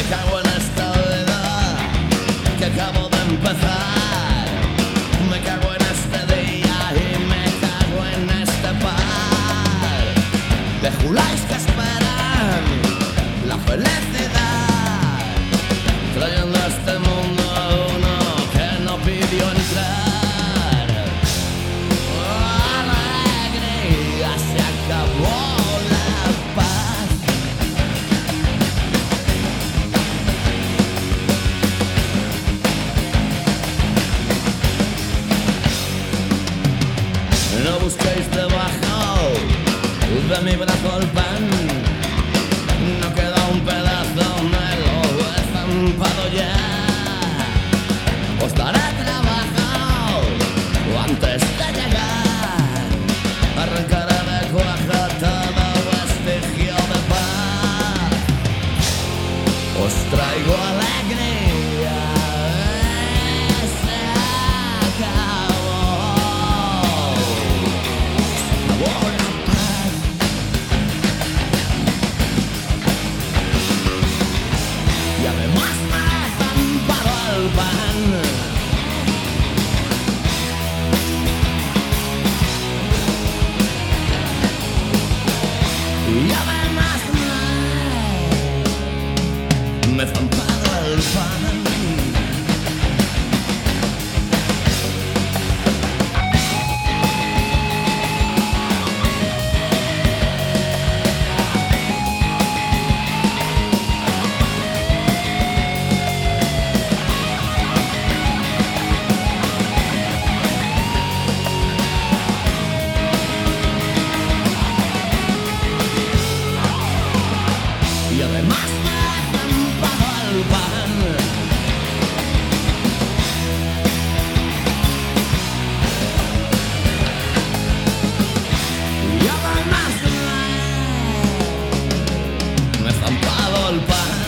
cago en esta vida que acabo de empezar. Me cago en este día y me cago en este par de juláis que esperan la felicidad, trayendo a este mundo a uno que no pidió entrar. Alegría, se acabó la paz. No busquéis debajo de mi brazo el pan. No queda un pedazo, me lo he zampado ya. Os daré trabajo antes de llegar. Arrancaré de cuaja todo vestigio de paz. Os traigo alegría. Se acabó. Se acabó la paz. Y además me he zampado el pan. Y además me he zampado el pan. Y además me he zampado el pan. Y además me he zampado el pan.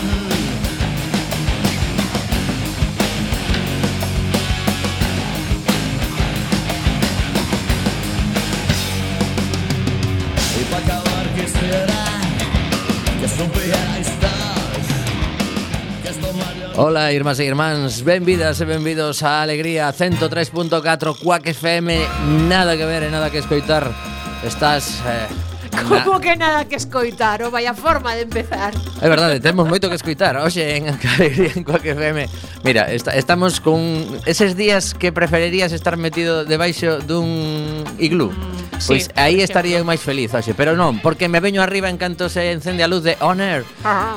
Y para acabar quisiera que supierais todos que esto Mario... Ola, irmás e irmáns, benvidas e benvidos a Alegría 103.4 Quack FM. Nada que ver e nada que escoitar. Estás... Como que nada que escoitar, o vaya forma de empezar. É verdade, temos moito que escoitar. Oxe, en Alegría en Quack FM. Mira, estamos con eses días que preferirías estar metido debaixo dun iglú. Pois Sí, aí por estaría eu máis feliz, oxe, pero non, porque me veño arriba en canto se encende a luz de On Air.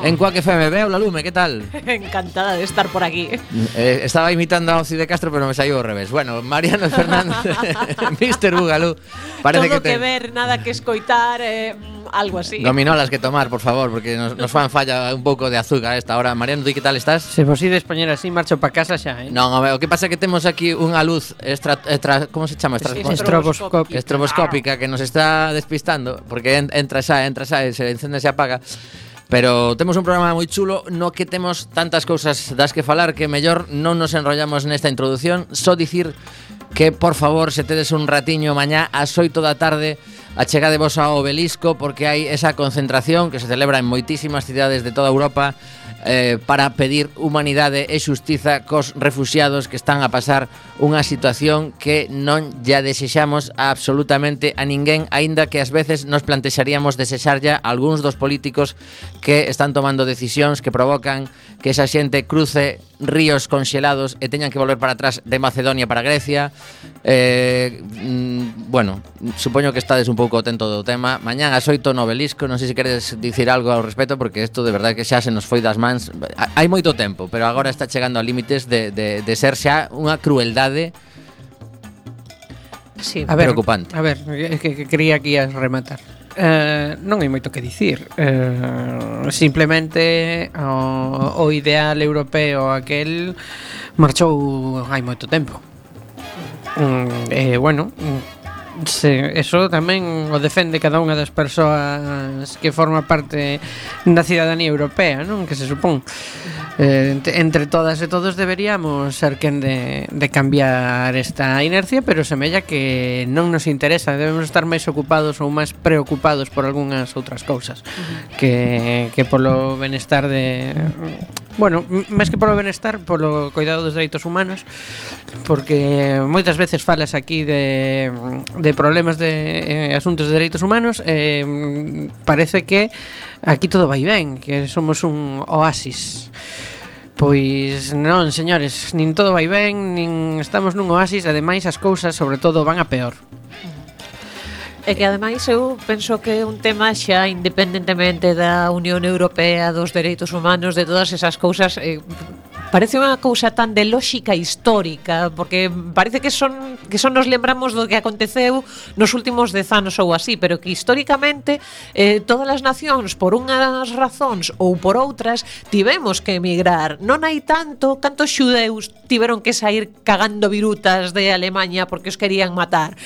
En Quack FM, veo la lume, que tal? Encantada de estar por aquí. Estaba imitando a Oci de Castro, pero me saiu ao revés. Bueno, Mariano Fernández, Mr. Bugalú. Parece Todo que que ver, nada que escoitar, algo así. Gominolas que tomar, por favor, porque nos fan falla un pouco de azúcar a esta hora. Mariano, ti que tal estás? Se vos ides poñer así, marcho pa casa xa, Non, o que pasa é que temos aquí unha luz como se chama? Estroboscópica que nos está despistando, porque entra xa, se encende e se apaga. Pero temos un programa moi chulo no que temos tantas cousas das que falar que mellor non nos enrollamos nesta introdución. Só dicir que, por favor, se tedes un ratiño mañá ás 8 da tarde, achegadevos ao Obelisco, porque hai esa concentración que se celebra en moitísimas cidades de toda Europa para pedir humanidade e xustiza cos refuxiados que están a pasar unha situación que non lla desexamos absolutamente a ninguén, aínda que ás veces nos plantexaríamos desexarlla a algúns dos políticos que están tomando decisións que provocan que esa xente cruce ríos conxelados e teñan que volver para atrás de Macedonia para Grecia. Bueno, supoño que estades un pouco atento do tema. Mañán ás 8 no Obelisco, non sei se queres dicir algo ao respecto, porque isto de verdade que xa se nos foi das mans. Hai moito tempo, pero agora está chegando a límites de ser xa unha crueldade Sí. preocupante. A ver, que creía que ias rematar. Non hai moito que dicir. Simplemente o ideal europeo aquel marchou hai moito tempo. Bueno, eso tamén o defende cada unha das persoas que forma parte da cidadanía europea, non? Que se supón entre todas e todos deberíamos ser quen de cambiar esta inercia, pero semella que non nos interesa. Debemos estar máis ocupados ou máis preocupados por algunhas outras cousas que polo benestar de Bueno, máis que polo benestar, polo cuidado dos dereitos humanos, porque moitas veces falas aquí de problemas de asuntos de dereitos humanos, parece que aquí todo vai ben, que somos un oasis. Pois non, señores, nin todo vai ben, nin estamos nun oasis, ademais as cousas, sobre todo, van a peor. E que ademais eu penso que é un tema xa independentemente da Unión Europea, dos dereitos humanos, de todas esas cousas, parece unha cousa tan de lógica histórica, porque parece que son nos lembramos do que aconteceu nos últimos 10 anos ou así, pero que históricamente todas as nacións, por unhas razóns ou por outras, tivemos que emigrar. Non hai cantos xudeus tiveron que sair cagando virutas de Alemania porque os querían matar.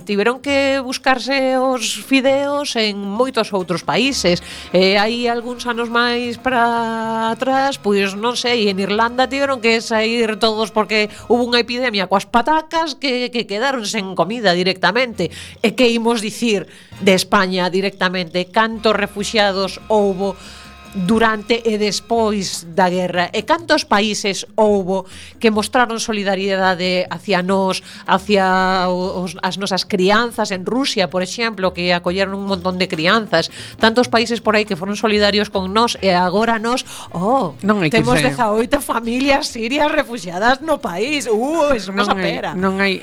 Tiveron que buscarse os fideos en moitos outros países. Hai algúns anos máis para atrás, pois non sei, en Irlanda tiveron que sair todos porque hubo unha epidemia coas patacas que quedaron sen comida directamente. E que imos dicir de España directamente? Cantos refuxiados houbo durante e despois da guerra, e cantos países houbo que mostraron solidariedade hacia nós, hacia as nosas crianzas en Rusia, por exemplo, que acolleron un montón de crianzas, tantos países por aí que foron solidarios con nós, e agora nós temos 18 familias sirias refugiadas no país. Eso non a pera. Non hai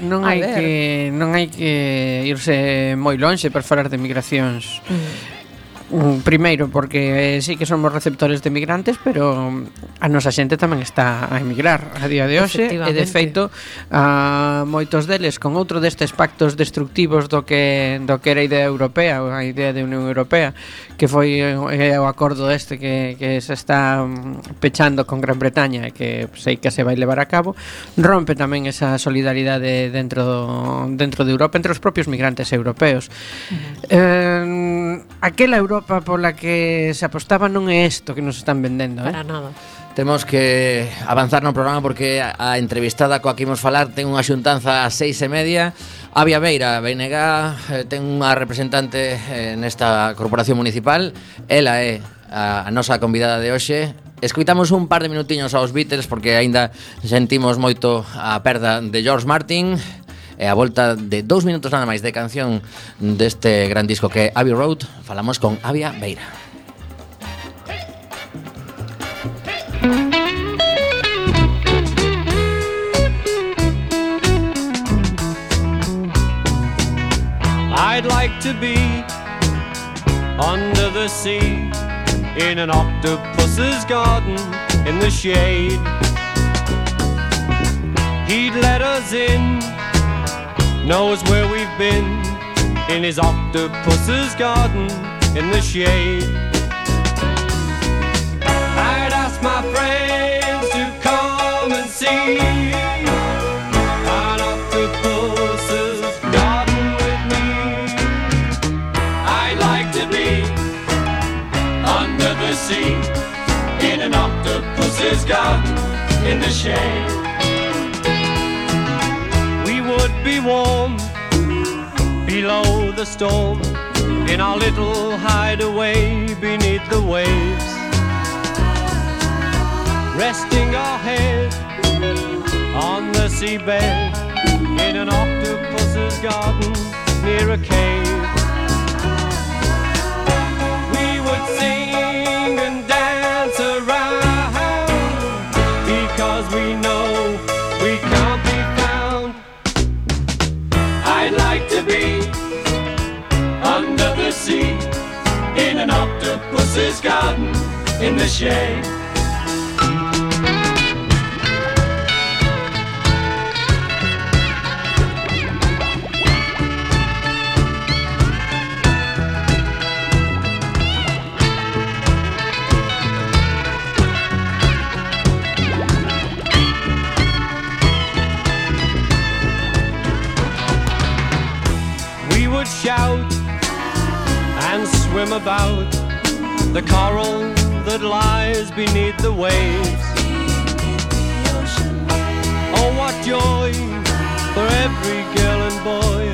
que irse moi lonxe para falar de migracións. Primeiro, porque sí que somos receptores de migrantes, pero a nosa xente tamén está a emigrar a día de hoxe, e de feito moitos deles con outro destes pactos destructivos do que era a idea europea, a idea de Unión Europea, que foi o acordo que se está pechando con Gran Bretaña e que sei que se vai levar a cabo, rompe tamén esa solidaridade dentro de Europa, entre os propios migrantes europeos. Aquela Europa pola que se apostaba non é isto que nos están vendendo, Para nada. Temos que avanzar no programa porque a entrevistada coa que imos falar ten unha xuntanza ás 6:30. Avia Beira, BNG, ten unha representante nesta corporación municipal. Ela é a nosa convidada de hoxe. Escoitamos un par de minutiños aos Beatles porque aínda sentimos moito a perda de George Martin. E a volta de 2 minutos nada máis de canción deste gran disco que é Abbey Road, falamos con Avia Beira. I'd like to be under the sea in an octopus's garden in the shade. He'd let us in, knows where we've been, in his octopus's garden in the shade. I'd ask my friends to come and see an octopus's garden with me. I'd like to be under the sea in an octopus's garden in the shade. Be warm below the storm in our little hideaway beneath the waves, resting our head on the seabed in an octopus's garden near a cave. We would sing and dance around because we know we can't be found. I'd like to be under the sea in an octopus's garden in the shade. Shout and swim about the coral that lies beneath the waves. Oh, what joy for every girl and boy,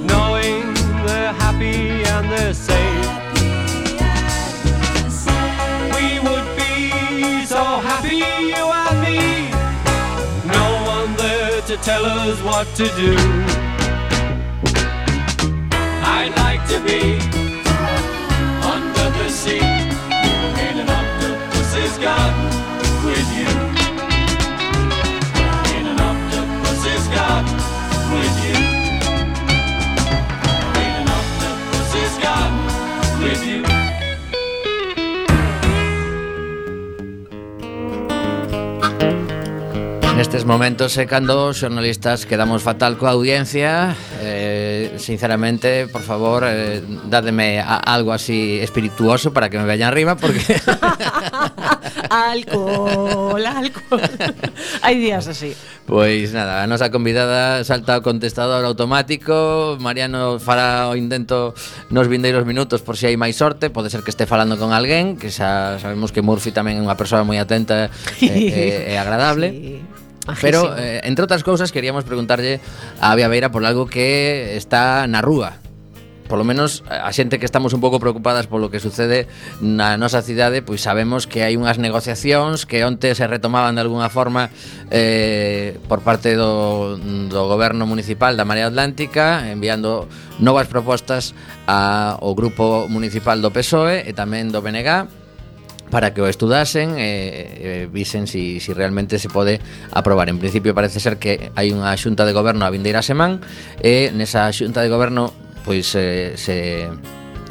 knowing they're happy and they're safe. We would be so to tell us what to do. I'd like to be under the sea in an octopus's garden with you. In an octopus's garden with you. In an octopus's garden with you. Nestes momentos cando os xornalistas quedamos fatal coa audiencia, sinceramente, por favor, dádeme algo así espirituoso para que me vean arriba, porque alcohol. Hai días así. Pois nada, a nosa convidada salta ao contestador automático. Mariano fará o intento nos vindeiros minutos por si hai máis sorte. Pode ser que este falando con alguén, que xa sabemos que Murphy tamén é unha persoa moi atenta e agradable. Sí. Pero, entre outras cousas, queríamos preguntarlle a Avia Beira por algo que está na rúa. Por lo menos a xente que estamos un pouco preocupadas polo que sucede na nosa cidade, pois sabemos que hai unhas negociacións que onte se retomaban de alguna forma por parte do goberno municipal da Marea Atlántica, enviando novas propostas ao grupo municipal do PSOE e tamén do BNG, para que o estudasen e visen si realmente se pode aprobar. En principio parece ser que hai unha xunta de goberno a vindeira semana e nesa xunta de goberno pois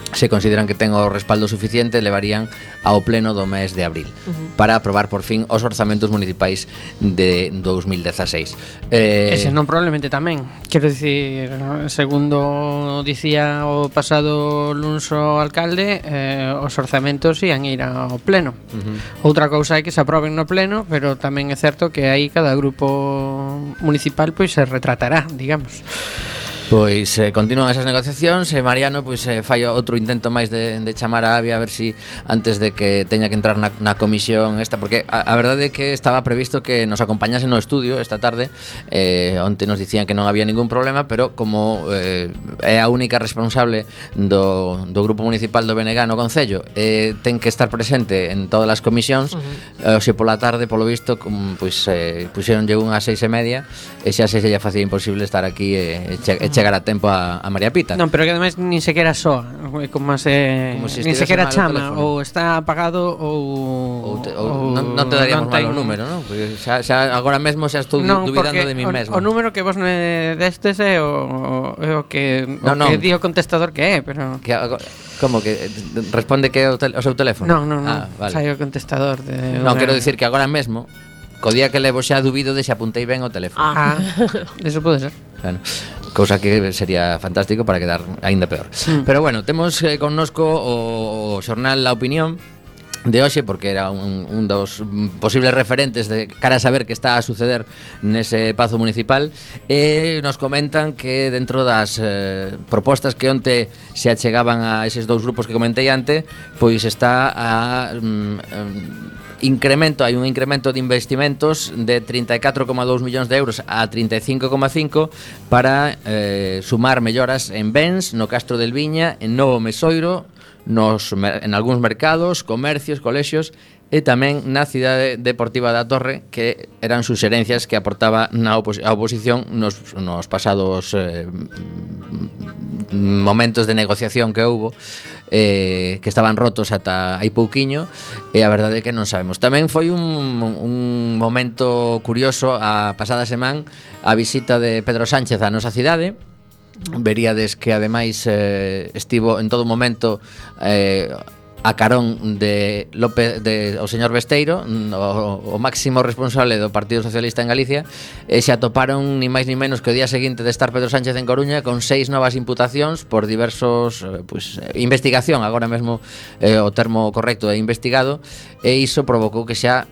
se consideran que ten o respaldo suficiente, levarían ao pleno do mes de abril para aprobar por fin os orzamentos municipais de 2016. Ese non probablemente tamén. Quero dicir, segundo dicía o pasado luns o alcalde, os orzamentos ian ir ao pleno. Outra cousa é que se aproben no pleno, pero tamén é certo que aí cada grupo municipal pois se retratará, digamos. Pois continúan esas negociacións e Mariano pois fai outro intento máis de chamar a Avia a ver si antes de que teña que entrar na comisión esta, porque a verdade é que estaba previsto que nos acompañase no estudio esta tarde. Onte nos dicían que non había ningún problema, pero como é a única responsable do grupo municipal do BNG no Concello, ten que estar presente en todas as comisións. Hoxe pola tarde, polo visto, pois puxeronlle unhas 6:30 e xa se lle facía imposible estar aquí e chegar a tempo a María Pita. Non, pero que ademais nin sequera soa, como se nin sequera chama, ou está apagado ou non te daríamos mal o número, non? Porque xa agora mesmo xa estou dubidando de mí mesmo. O número que vos me destes é o que di o contestador que é, pero como que responde que é o seu teléfono? Non, vale. Sai o contestador de... Non, quero dicir que agora mesmo co día que levo xa dubido de se apuntei ben o teléfono. Eso pode ser. Bueno, cousa que sería fantástico para quedar aínda peor. Pero bueno, temos connosco o xornal La Opinión de hoxe, porque era un dos posibles referentes de cara a saber que está a suceder nese pazo municipal, e nos comentan que dentro das propostas que onte se achegaban a eses dous grupos que comentei ante, pois está a hai un incremento de investimentos de 34,2 millóns de euros a 35,5 para sumar melloras en bens no Castro del Viña, en Novo Mesoiro, en algúns mercados, comercios, colexios e tamén na cidade deportiva da Torre, que eran suxerencias que aportaba a oposición nos pasados momentos de negociación que houbo, que estaban rotos ata hai pouquiño, e a verdade é que non sabemos. Tamén foi un momento curioso a pasada semana a visita de Pedro Sánchez á nosa cidade. Veríades que ademais estivo en todo momento a carón de o señor Besteiro, o máximo responsable do Partido Socialista en Galicia, e se atoparon ni máis ni menos que o día seguinte de estar Pedro Sánchez en Coruña con 6 novas imputacións por diversos investigación, agora mesmo o termo correcto é investigado, e iso provocou que xa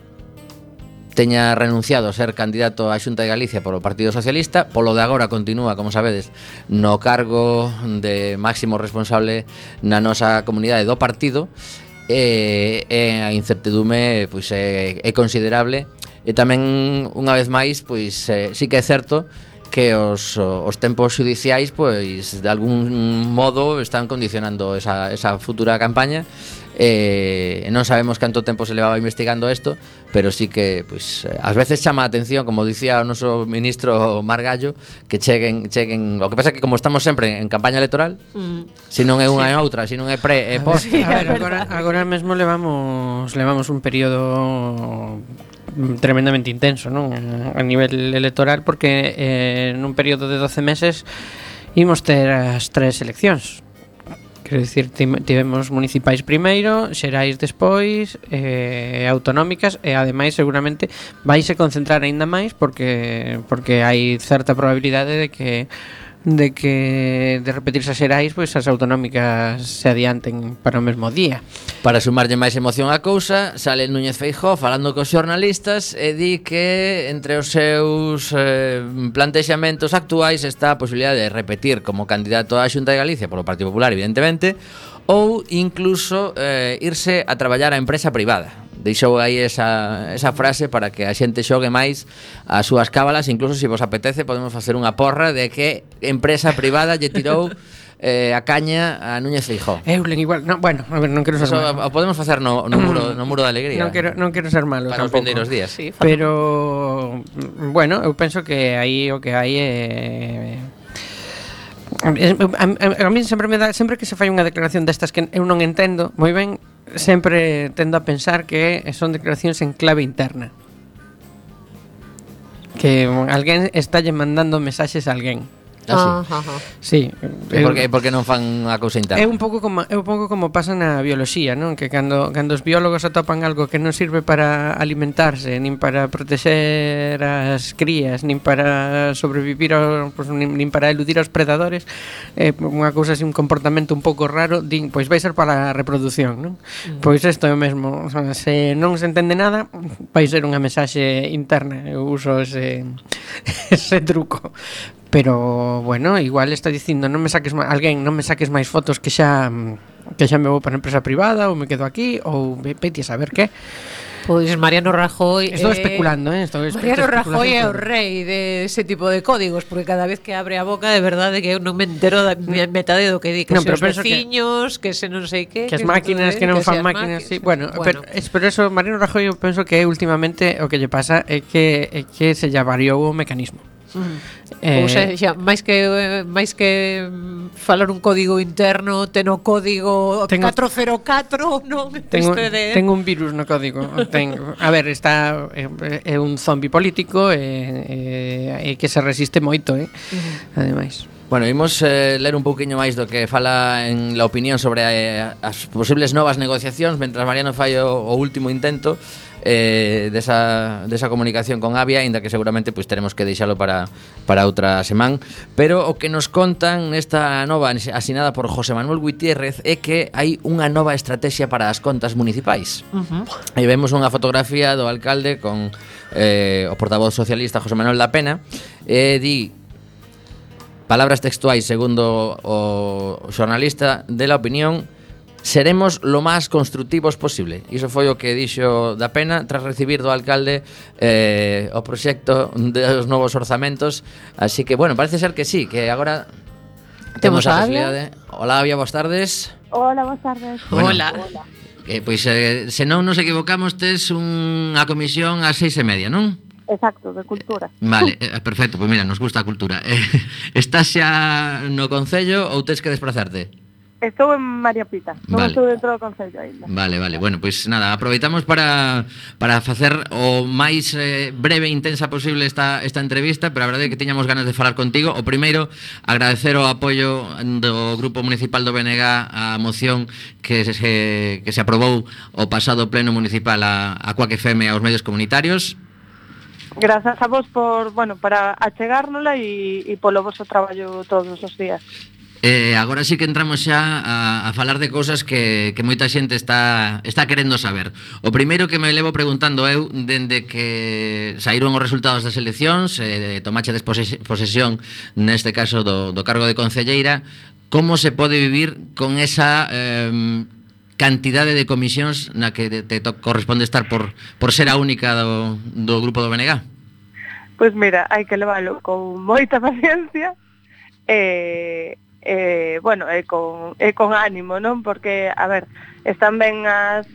teña renunciado a ser candidato á Xunta de Galicia polo Partido Socialista. Polo de agora continúa, como sabedes, no cargo de máximo responsable na nosa comunidade do partido, e a incertidume pois é considerable, e tamén unha vez máis pois sí que é certo que os tempos judiciais pois de algún modo están condicionando esa futura campaña, Non sabemos canto tempo se levaba investigando isto, pero sí que pois ás veces chama a atención, como dicía o noso ministro Margallo, que cheguen, o que pasa que como estamos sempre en campaña electoral, se non é unha e outra, se non é pre e post. A ver, agora mesmo levamos un período tremendamente intenso, non? A nivel electoral, porque nun período de 12 meses imos ter as 3 eleccións. Quero dicir, tivemos municipais primeiro, xerais despois, autonómicas, e ademais seguramente vaise concentrar aínda máis porque hai certa probabilidade de repetirse as xerais, pois as autonómicas se adianten para o mesmo día. Para sumarlle máis emoción á cousa, sale Núñez Feijóo falando cos xornalistas e di que entre os seus plantexamentos actuais está a posibilidade de repetir como candidato á Xunta de Galicia polo Partido Popular, evidentemente, ou incluso irse a traballar á empresa privada. Deixou aí esa frase para que a xente xogue máis as súas cábalas. Incluso se vos apetece podemos facer unha porra de que empresa privada lle tirou a caña a Núñez Feijóo. Eulen igual, no, bueno, a ver, non quero ser malo. O podemos facer no muro da alegría. Non quero ser malo para tampouco. Os vindeiros días. Sí, pero bueno, eu penso que aí o que hai é a mí sempre que se fai unha declaración destas que eu non entendo moi ben, sempre tendo a pensar que son declaracións en clave interna, que alguén está lle mandando mensaxes a alguén. Sí. Porque non fan unha cousa interna. É un pouco como pasa na bioloxía, non? Que cando os biólogos atopan algo que non sirve para alimentarse, nin para protexer as crías, nin para sobrevivir nin para eludir aos predadores, unha cousa así, un comportamento un pouco raro, din, pois vai ser para a reproducción, non? Pois isto é o mesmo, o sea, se non se entende nada, vai ser unha mensaxe interna. Eu uso ese truco. Pero, bueno, igual está dicindo non me saques máis fotos que xa me vou para a empresa privada, ou me quedo aquí, ou vete a saber que. Pois Mariano Rajoy Estou especulando, Mariano Rajoy é o rei de ese tipo de códigos, porque cada vez que abre a boca, de verdade que eu non me entero da metade do que di, que se os veciños, que se non sei que as máquinas, que non fan máquinas, sí. Bueno, pero eso, Mariano Rajoy, eu penso que últimamente o que lle pasa é que se lle variou o mecanismo. Ou seja, máis que falar un código interno, ten o código 404, non? Tengo un virus no código. A ver, está é un zombi político e que se resiste moito, ademais. Bueno, imos ler un pouquiño máis do que fala en la opinión sobre as posibles novas negociacións, mentras Mariano fai o último intento desa comunicación con Avia, ainda que seguramente pois teremos que deixalo para outra semana. Pero o que nos contan nesta nova asinada por José Manuel Gutiérrez é que hai unha nova estrategia para as contas municipais. E vemos unha fotografía do alcalde con o portavoz socialista José Manuel da Pena, e di, palabras textuais segundo o xornalista de La Opinión: seremos lo máis constructivos posible. Iso foi o que dixo da Pena tras recibir do alcalde o proxecto dos novos orzamentos. Así que, bueno, parece ser que sí, que agora temos a posibilidade. Hola, Avia, boas tardes. Hola, boas tardes. Bueno, hola. Pois, se non nos equivocamos, tes unha comisión ás 6:30, non? Exacto, de cultura. Vale, perfecto, pois mira, nos gusta a cultura. Estás xa no Concello ou tes que desplazarte? Estou en María Pita, non estou dentro do Concello ainda. Vale, bueno, pois nada, aproveitamos para facer o máis breve e intensa posible esta entrevista, pero a verdade é que tiñamos ganas de falar contigo. O primeiro, agradecer o apoio do Grupo Municipal do BNG á moción que se aprobou o pasado pleno municipal a Cuac FM e aos medios comunitarios. Grazas a vos para achegárnola e polo vosso traballo todos os días. Agora sí que entramos xa a falar de cousas que moita xente está querendo saber. O primeiro que me levo preguntando eu, dende que saíron os resultados das eleccións, tomachedes posesión neste caso do cargo de concelleira, como se pode vivir con esa cantidade de comisións na que te corresponde estar por ser a única do grupo do BNG? Pois mira, hai que leválo con moita paciencia e con ánimo, non? Porque, a ver, están ben as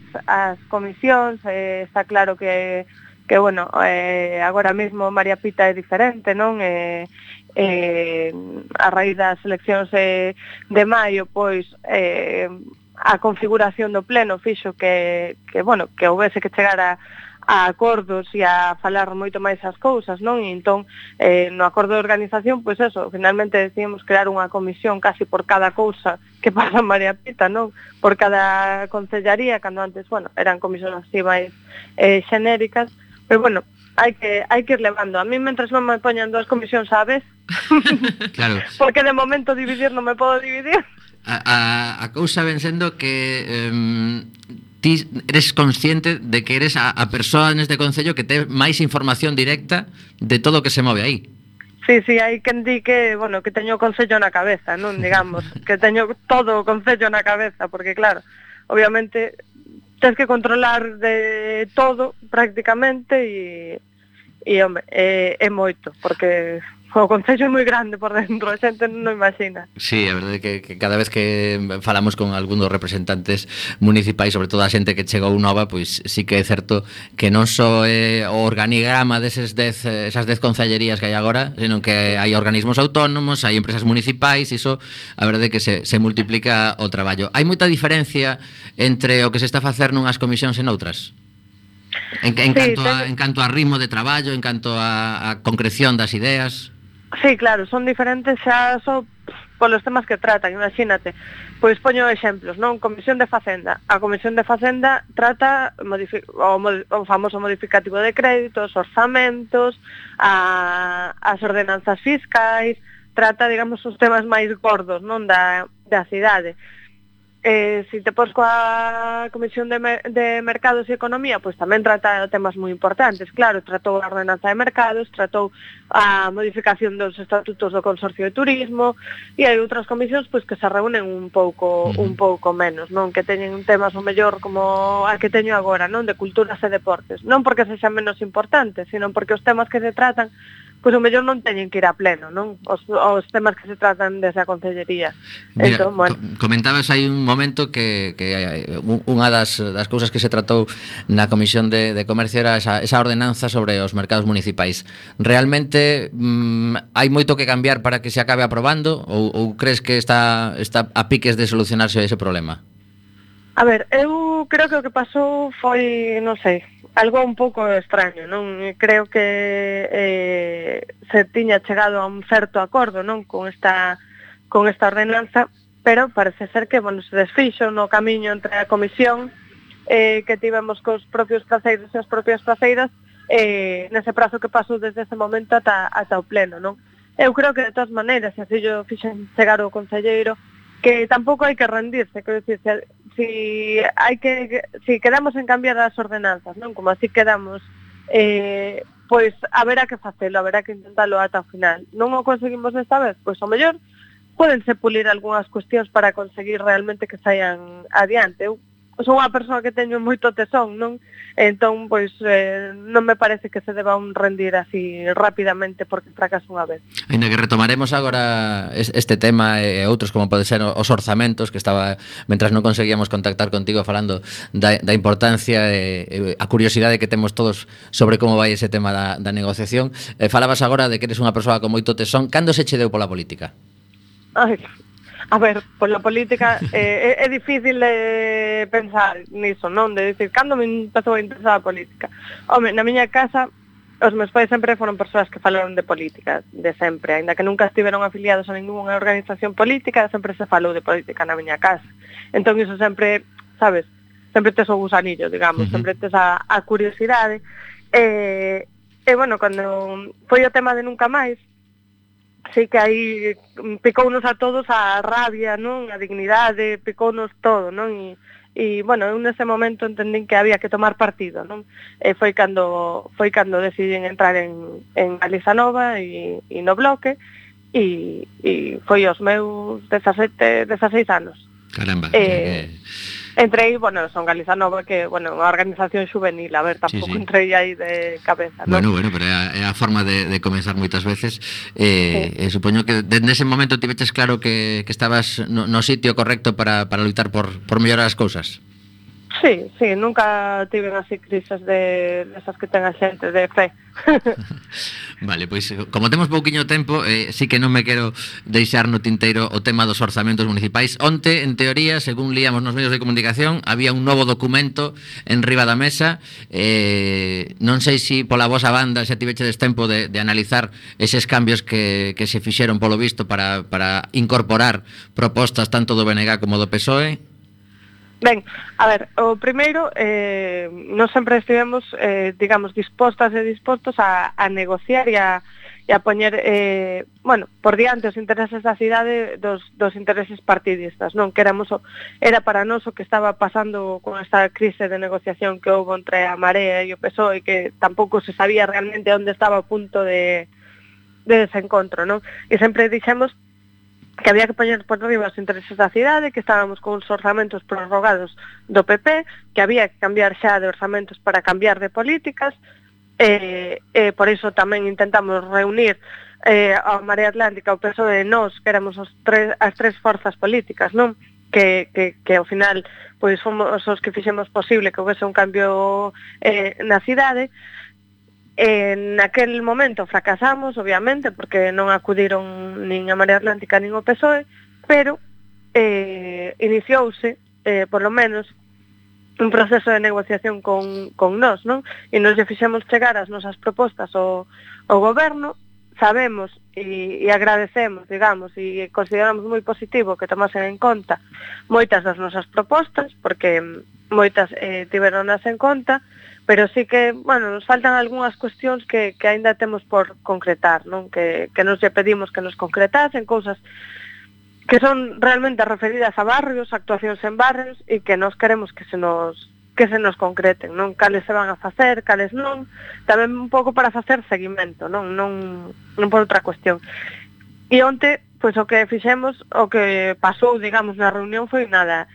comisións, está claro que bueno, agora mesmo María Pita é diferente, non? A raíz das eleccións de maio, pois a configuración do pleno fixo que houbese que chegar a acordos e a falar moito máis as cousas, non? E entón, no acordo de organización, pois eso, finalmente decidimos crear unha comisión casi por cada cousa que pasa en María Pita, non? Por cada concellaría, cando antes, bueno, eran comisións así máis xenéricas, pero bueno, hai que ir levando. A mí, mentres non me poñan 2 comisións á vez, claro. Porque de momento dividir non me podo dividir. A cousa ven sendo que ti eres consciente de que eres a persoa neste concello que ten máis información directa de todo o que se move aí. Sí, hai quen di que, bueno, que teño o concello na cabeza, non, digamos, que teño todo o concello na cabeza, porque claro, obviamente tens que controlar de todo prácticamente e home, é moito, porque o concello é moi grande por dentro, a xente non imagina. Sí, a verdade é que cada vez que falamos con algún dos representantes municipais, sobre todo a xente que chegou nova, pois sí que é certo que non só é o organigrama esas 10 concellerías que hai agora, senón que hai organismos autónomos, hai empresas municipais, iso a verdade é que se multiplica o traballo. Hai moita diferencia entre o que se está a facer nunhas comisións e noutras? En canto a ritmo de traballo, en canto a concreción das ideas? Sí, claro, son diferentes xa só polos temas que tratan, imagínate. Pois poño exemplos, non? Comisión de Facenda. A Comisión de Facenda trata o famoso modificativo de créditos, orzamentos, as ordenanzas fiscais, trata, digamos, os temas máis gordos, non? Da cidade. Si te pos coa Comisión de Mercados e Economía, pois tamén trata temas moi importantes. Claro, tratou a ordenanza de mercados, tratou a modificación dos estatutos do Consorcio de Turismo, e hai outras comisións pois que se reúnen un pouco menos, non? Que teñen temas o mellor como a que teño agora, non? De culturas e deportes. Non porque sexan menos importantes, sino porque os temas que se tratan pois o mellor non teñen que ir a pleno, non? Os temas que se tratan desde a Concellería. Mira, entón, bueno, comentabas aí un momento que unha das cousas que se tratou na Comisión de Comercio era esa ordenanza sobre os mercados municipais. Realmente hai moito que cambiar para que se acabe aprobando ou crees que está a piques de solucionarse ese problema? A ver, eu creo que o que pasou foi, non sei, algo un pouco extraño, non? Creo que se tiña chegado a un certo acordo, non? Con esta ordenanza, pero parece ser que, bueno, se desfixo no camiño entre a comisión que tivemos cos propios praceiros e as propias praceiras nese prazo que pasou desde ese momento ata o pleno, non? Eu creo que de todas maneiras, se así yo fixen chegar o concelleiro, que tampouco hai que rendirse, quero dicir, si quedamos en cambiar as ordenanzas, non? Como así quedamos, pois haberá que facelo, haberá que intentalo ata o final. Non o conseguimos esta vez, pois ao mellor pódense pulir algunhas cuestións para conseguir realmente que saian adiante. Eu son unha persoa que teño moito tesón, non? Entón, pois, non me parece que se deba rendir así rapidamente porque fracaso unha vez. Ainda que retomaremos agora este tema e outros como pode ser os orzamentos, que estaba, mentras non conseguíamos contactar contigo falando da importancia e a curiosidade que temos todos sobre como vai ese tema da negociación. Falabas agora de que eres unha persoa con moito tesón. Cando se che deu pola política? Ai, a ver, pola política é difícil de pensar niso, non? De dicir, cando me empezou a interesar a política? Home, na miña casa, os meus pais sempre foron persoas que falaron de política, de sempre. Ainda que nunca estiveron afiliados a ninguna organización política, sempre se falou de política na miña casa. Entón, iso sempre, sabes, sempre tes o gusanillo, digamos, sempre tes a curiosidade. E, bueno, cando foi o tema de Nunca Máis, sí que aí picounos a todos a rabia, non? A dignidade, picounos todo, non? E bueno, eu nese momento entendín que había que tomar partido, non? E foi cando decidín entrar en Galiza Nova e no Bloque e foi aos meus 16 anos. Caramba. Entrei, bueno, son Galiza Nova, que, bueno, unha organización xuvenil, a ver, tampouco sí. Entrei aí de cabeza, non? Bueno, pero é a forma de comenzar moitas veces. Supoño que desde ese momento tiveches claro que estabas no sitio correcto para lutar por mellorar as cousas. Sí, nunca tiven así crises de esas que ten a xente de fe. Vale, pois como temos pouquiño tempo, sí que non me quero deixar no tinteiro o tema dos orzamentos municipais. Onte, en teoría, según líamos nos medios de comunicación, había un novo documento en riba da mesa. Non sei se pola vosa banda xa tivechedes tempo de analizar eses cambios que se fixeron polo visto para incorporar propostas tanto do BNG como do PSOE. Ben, a ver, o primeiro, nós sempre estivemos, digamos, dispostos a negociar e a poñer, por diante os intereses da cidade dos intereses partidistas, non? Que era para nós o que estaba pasando con esta crise de negociación que houve entre a Marea e o PSOE, que tampouco se sabía realmente onde estaba o punto de desencontro, non? E sempre dixemos que había que poñer por riba os intereses da cidade, que estábamos con os orzamentos prorrogados do PP, que había que cambiar xa de orzamentos para cambiar de políticas, por iso tamén intentamos reunir a Marea Atlántica, o PSOE e nós, que éramos as tres forzas políticas, non? Que ao final pois fomos os que fixemos posible que houvese un cambio na cidade. Naquel momento fracasamos, obviamente, porque non acudiron nin a Marea Atlántica nin o PSOE, pero iniciouse, por lo menos, un proceso de negociación con nós, non? E nos lle fixemos chegar as nosas propostas ao goberno, sabemos e agradecemos, digamos, e consideramos moi positivo que tomasen en conta moitas das nosas propostas, porque moitas tiveronas en conta, pero sí que, nos faltan algunhas cuestións que aínda temos por concretar, non? Que nos lle pedimos que nos concretasen, cousas que son realmente referidas a barrios, actuacións en barrios, e que nos queremos que se nos concreten, non? Cales se van a facer, cales non, tamén un pouco para facer seguimento, non por outra cuestión. E onte, pois o que fixemos, o que pasou, digamos, na reunión foi nada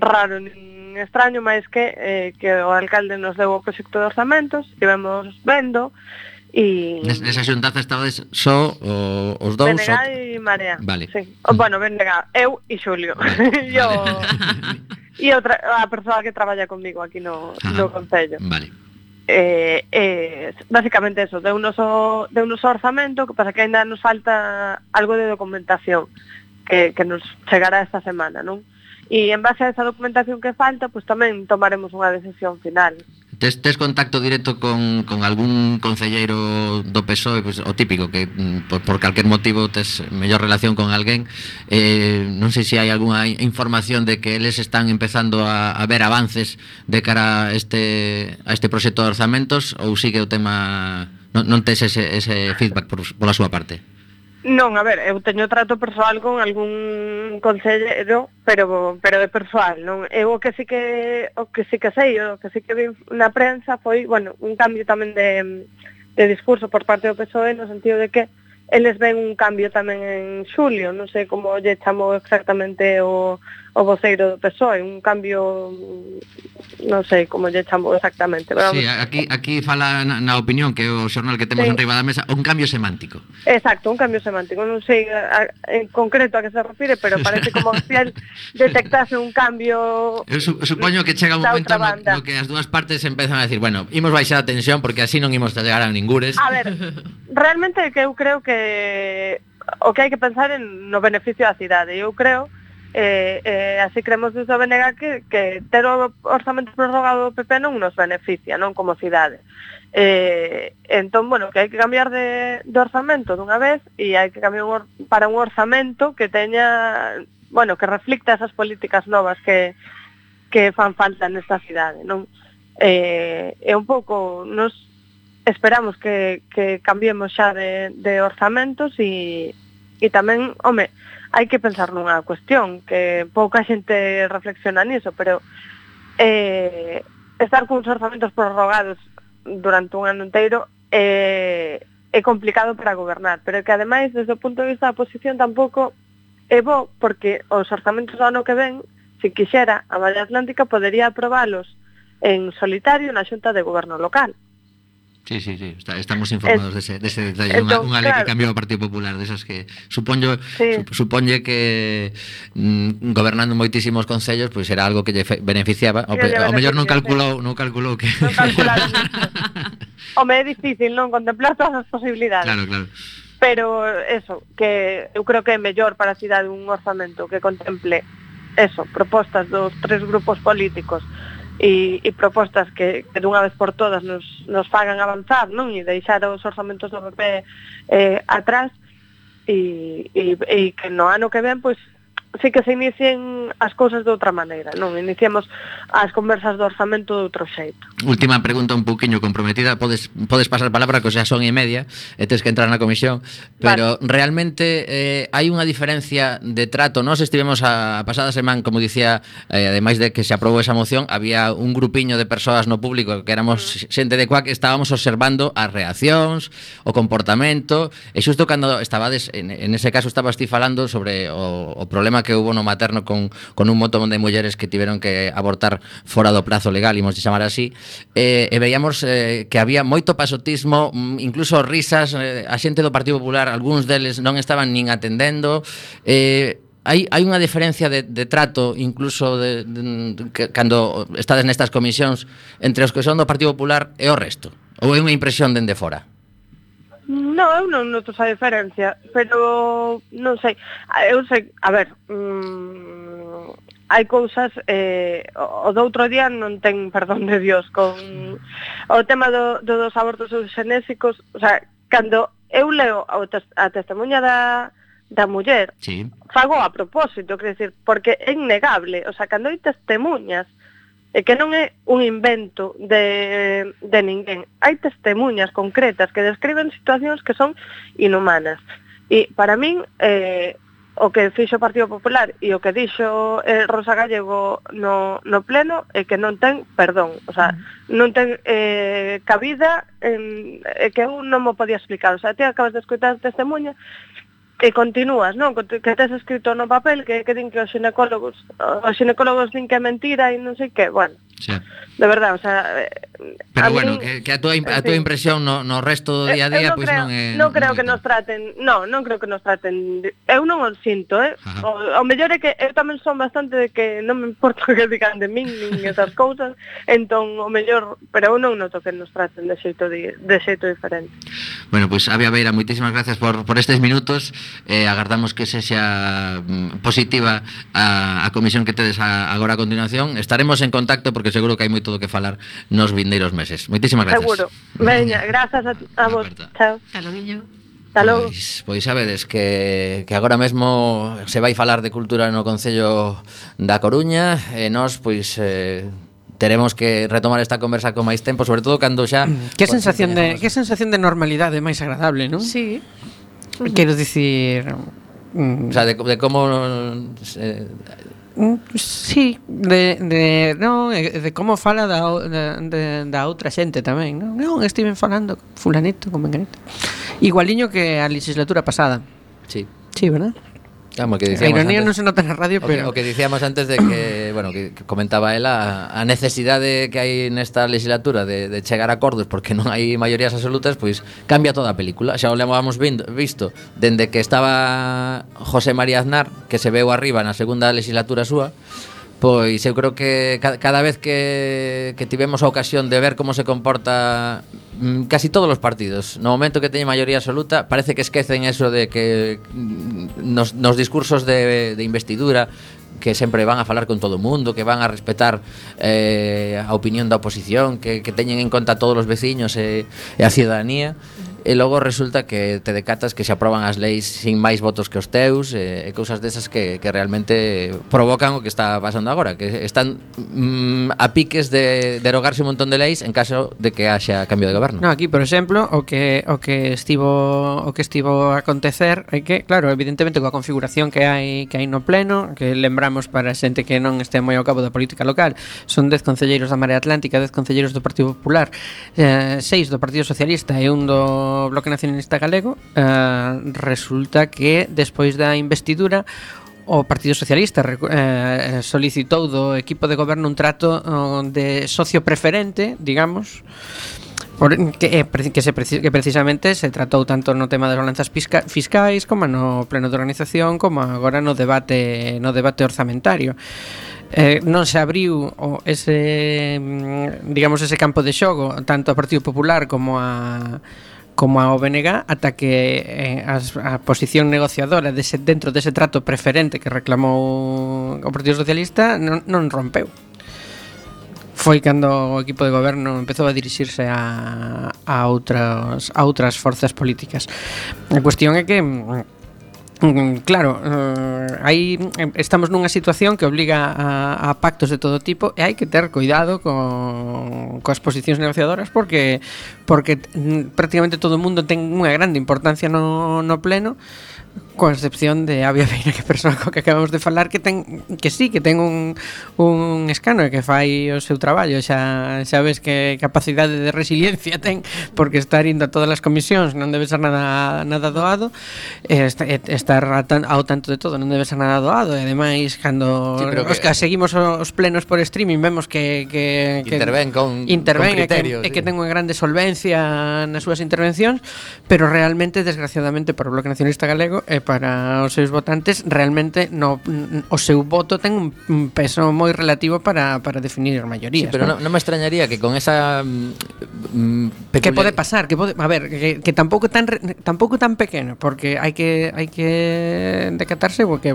raro nin extraño, máis que o alcalde nos deu o proxecto de orzamentos, estivemos vendo e... Nesa xuntanza estabades só os dous? BNG e Marea. Vale. Sí. BNG, eu e Xulio. Vale. E a persoa que traballa comigo aquí no concello. Vale. Básicamente eso, deunos orzamento, que pasa que ainda nos falta algo de documentación que nos chegará esta semana, non? E en base a esa documentación que falta, pues tamén tomaremos unha decisión final. Tes contacto directo con algún concelleiro do PSOE, pues, o típico, que por calquer motivo tes mellor relación con alguén, non sei se hai algunha información de que eles están empezando a ver avances de cara a este proxecto de orzamentos, ou sigue o tema, non tes ese feedback pola súa parte? Non, a ver, eu teño trato persoal con algún concelleiro, pero de persoal, non? Eu o que sí que sei, o que sí que vi na prensa foi, un cambio tamén de discurso por parte do PSOE, no sentido de que eles ven un cambio tamén en Xulio, non sei como lle chamou exactamente o voceiro do PSOE, un cambio, non sei como lle chamou exactamente. Pero sí, aquí fala na opinión, que é o xornal que temos en riba da mesa, un cambio semántico. Exacto, un cambio semántico, non sei en concreto a que se refire, pero parece como se el detectase un cambio. Eu supoño que chega un momento no que as dúas partes empezan a decir, imos baixar a tensión porque así non imos chegar a ningures. A ver, realmente que eu creo que o que hai que pensar no beneficio da cidade. Eu creo, así creemos desde o BNG que ter o orzamento prorrogado do PP non nos beneficia, non como cidade. Entón, que hai que cambiar de orzamento dunha vez e hai que cambiar para un orzamento que teña, que reflicta esas políticas novas que fan falta nesta cidade, non? Un pouco nos esperamos que cambiemos xa de orzamentos e tamén, hai que pensar nunha cuestión que pouca xente reflexiona niso, pero estar cuns orzamentos prorrogados durante un ano inteiro é complicado para gobernar, pero que ademais desde o punto de vista da oposición tampouco é bo, porque os orzamentos do ano que ven, se quixera, a Marea Atlántica podería aprobalos en solitario na Xunta de Goberno local. Sí, estamos informados dese detalle. Unha lei que cambiou o Partido Popular, desas que suponlle que gobernando moitísimos concellos, pois era algo que lle beneficiaba. Ao mellor non calculou que non calcularon Home, é difícil non contemplar todas as posibilidades. Claro. Pero eso, que eu creo que é mellor para a cidade un orzamento que contemple eso, propostas dos tres grupos políticos e propostas que dunha vez por todas nos fagan avanzar, non? E deixar os orzamentos do PP atrás e que no ano que ven, pois, sí que se inicien as cousas de outra maneira, non? Iniciemos as conversas do orzamento de outro xeito. Última pregunta un pouquiño comprometida, podes pasar palabra, que xa son e media, e tes que entrar na comisión, pero realmente hai unha diferencia de trato. Nós estivemos a pasada semana, como dicía, ademais de que se aprobou esa moción, había un grupiño de persoas no público que éramos xente de CUAC, que estábamos observando as reaccións, o comportamento, e xusto cando estabades, en ese caso estabas ti falando sobre o problema que hubo no materno con un montón de mulleres que tiveron que abortar fora do prazo legal, imos chamar así, e veíamos que había moito pasotismo, incluso risas, a xente do Partido Popular, algúns deles non estaban nin atendendo. Hai unha diferencia de trato, incluso cando estades nestas comisións, entre os que son do Partido Popular e o resto? Ou é unha impresión dende fora? No, eu non noto esa diferencia, pero non sei. Eu sei, a ver, hai cousas, o do outro día non ten perdón de Dios con o tema dos abortos eugenésicos. O sea, cando eu leo a testemunha da muller, fago a propósito, quer decir, porque é innegable. O sea, cando hai testemuñas, e que non é un invento de ninguén. Hai testemuñas concretas que describen situacións que son inhumanas. E para min, o que fixo o Partido Popular e o que dixo Rosa Gallego no pleno é que non ten perdón. O sea, non ten cabida, que eu non mo podía explicar. O sea, ti acabas de escutar testemuña e continúas, non? Que tes escrito no papel que din que os ginecólogos din que é mentira e non sei que, bueno. Sí. De verdade, o sea, pero bueno, que a tua impresión no resto do día a día pois non é. Non creo que nos traten, non creo que nos traten. Eu non o sinto, o mellor é que eu tamén son bastante de que non me importa o que digan de min nin esas cousas, entón o mellor, pero eu non noto que nos traten de xeito diferente. Bueno, pois Avia Beira, moitísimas gracias por estes minutos. Agardamos que sexa positiva a comisión que tedes agora a continuación. Estaremos en contacto porque seguro que hai moito do que falar nos vindeiros meses. Moitísimas gracias. Seguro. Veña, grazas a vos. Chao. Hasta logo. Hasta logo. Pois sabedes que agora mesmo se vai falar de cultura no Concello da Coruña e nós pois teremos que retomar esta conversa con máis tempo, sobre todo cando xa que sensación de normalidade máis agradable, non? Sí. Quero dicir, o sea, de como sí, de como fala da outra xente tamén, non? Non, estiven falando con fulanito, con menganito. Igualiño que a legislatura pasada. Sí, ¿verdad? Claro, que a ironía non se nota na radio, pero o que dicíamos antes de que, bueno, que comentaba ela a necesidade que hai nesta legislatura de chegar a acordos porque non hai maiorías absolutas, pois cambia toda a película. Xa o levamos visto dende que estaba José María Aznar, que se veu arriba na segunda legislatura súa. Pois eu creo que cada vez que tivemos a ocasión de ver como se comporta casi todos os partidos, no momento que teñen maioría absoluta, parece que esquecen eso de que nos discursos de investidura que sempre van a falar con todo o mundo, que van a respetar a opinión da oposición, que teñen en conta todos os veciños e a ciudadanía. E logo resulta que te decatas que se aproban as leis sin máis votos que os teus e cousas desas que realmente provocan o que está pasando agora, que están a piques de derogarse un montón de leis en caso de que haxa cambio de goberno. No, aquí, por exemplo, o que estivo a acontecer é que, claro, evidentemente coa configuración que hai no pleno, que lembramos para a xente que non este moi ao cabo da política local, son 10 concelleiros da Marea Atlántica, 10 concelleiros do Partido Popular, 6 do Partido Socialista e un do Bloque Nacionalista Galego. Resulta que despois da investidura o Partido Socialista solicitou do equipo de goberno un trato de socio preferente, digamos, Que precisamente se tratou tanto no tema das balanzas fiscais como no pleno de organización como agora no debate orzamentario. Non se abriu ese campo de xogo tanto ao Partido Popular como a OBNG ata que a posición negociadora dentro dese trato preferente que reclamou o Partido Socialista non rompeu. Foi cando o equipo de goberno empezou a dirixirse a outras forzas políticas. A cuestión é que claro, aí estamos nunha situación que obliga a pactos de todo tipo e hai que ter cuidado coas posicións negociadoras porque prácticamente todo o mundo ten unha grande importancia no pleno, coa excepción de Avia Veira, que persoa co que acabamos de falar que ten un escano e que fai o seu traballo. Xa ves que capacidade de resiliencia ten, porque estar indo a todas as comisións non debe ser nada doado, estar ao tanto de todo non debe ser nada doado, e ademais cando seguimos os plenos por streaming vemos que interven con criterios, e que ten unha grande solvencia nas súas intervencións, pero realmente, desgraciadamente, para o Bloque Nacionalista Galego e para os seus votantes, realmente o seu voto ten un peso moi relativo para definir as maiorías. Sí, pero non me extrañaría que con esa que pode pasar, que tampouco tan pequeno, porque hai que decatarse porque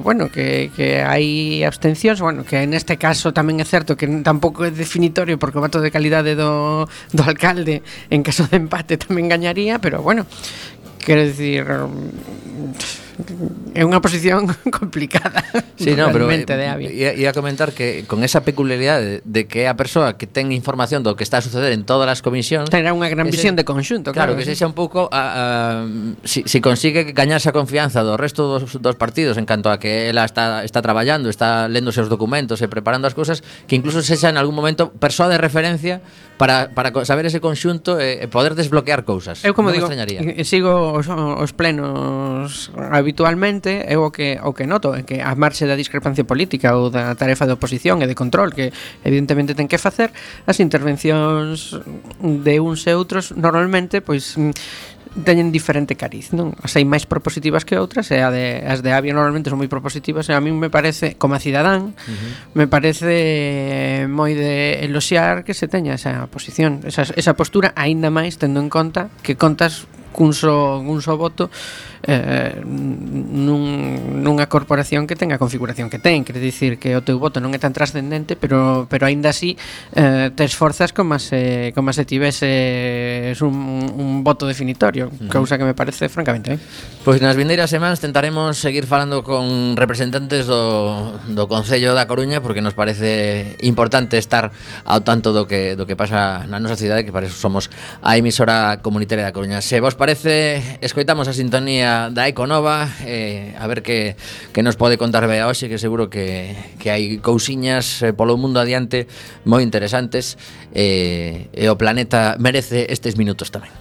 que hai abstencións, que neste caso tamén é certo que tampouco é definitorio porque o voto de calidade do alcalde en caso de empate tamén gañaría, pero quero dicir, é unha posición complicada. Sí, no, pero ia comentar que con esa peculiaridade de que é a persoa que ten información do que está a suceder en todas as comisións, terá unha gran visión de conxunto, claro, que sexa un pouco si consigue gañarse a confianza do resto dos partidos en canto a que ela está traballando, está lendo os seus documentos e preparando as cousas, que incluso sexa en algún momento persoa de referencia para saber ese conxunto e poder desbloquear cousas. Eu, como digo, sigo os plenos habitualmente, eu o que noto é que a marxe da discrepancia política ou da tarefa de oposición e de control que evidentemente ten que facer, as intervencións de uns e outros normalmente teñen diferente cariz, non? As hai máis propositivas que outras, e as de Avia normalmente son moi propositivas, e a mí me parece, como a cidadán, me parece moi de eloxiar que se teña esa posición, esa postura, aínda máis tendo en conta que contas cun só voto nunha corporación que ten a configuración que ten, quere dicir que o teu voto non é tan trascendente, pero aínda así te esforzas como se tivese un voto definitorio, cousa que me parece francamente Pois nas vindeiras semanas tentaremos seguir falando con representantes do Concello da Coruña, porque nos parece importante estar ao tanto do que pasa na nosa cidade, que para eso somos a emisora comunitaria da Coruña. Se vos parece, escoitamos a sintonía da Econova, a ver que nos pode contar Bea hoxe, que seguro que hai cousiñas polo mundo adiante moi interesantes, e o planeta merece estes minutos tamén.